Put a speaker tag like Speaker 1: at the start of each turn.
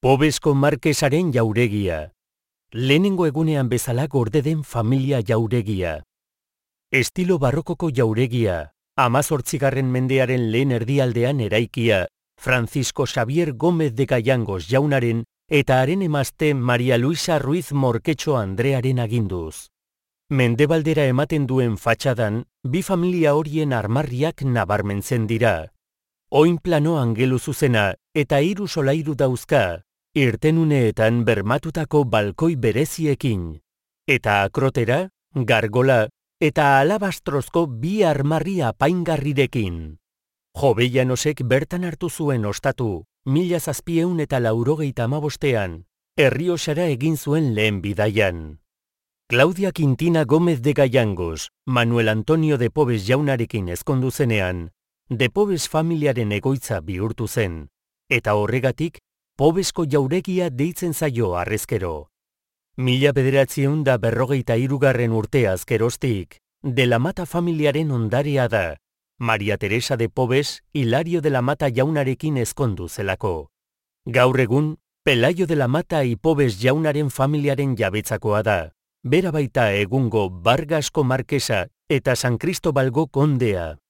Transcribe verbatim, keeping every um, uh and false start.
Speaker 1: Pobesko Markesaren jauregia. Lehenengo egunean bezala gorde den familia jauregia. Estilo barrokoko jauregia, hamazortzigarren mendearen lehen erdialdean eraikia, Francisco Xavier Gómez de Gayangos jaunaren eta haren emazte Maria Luisa Ruiz Morquetxo Andrearen aginduz. Mendebaldera ematen duen fatxadan, bi familia horien armarriak nabarmentzen dira. Oinplano angelu zuzena eta hiru solairu dauzka, irtenuneetan bermatutako balkoi bereziekin. Eta akrotera, gargola eta alabastrozko bi armarri apaingarrirekin. Jovellanosek bertan hartu zuen ostatu, mila zazpieun eta laurogeita hamabostean, Errioxara egin zuen lehen bidaian. Claudia Quintina Gómez de Gayangos, Manuel Antonio de Pobes jaunarekin ezkondu zenean, de Pobes familiaren egoitza bihurtu zen, eta horregatik, Pobesko jauregia deitzen zaio harrezkero. Mila bederatziehun da berrogeita hirugarren urteaz geroztik, de la Mata familiaren ondarea da, Maria Teresa de Pobes Hilario de la Mata jaunarekin ezkondu zelako. Gaur egun, Pelayo de la Mata y Pobes jaunaren familiaren jabetzakoa da, bera baita egungo Vargasko Markesa eta San Cristobalgo kondea.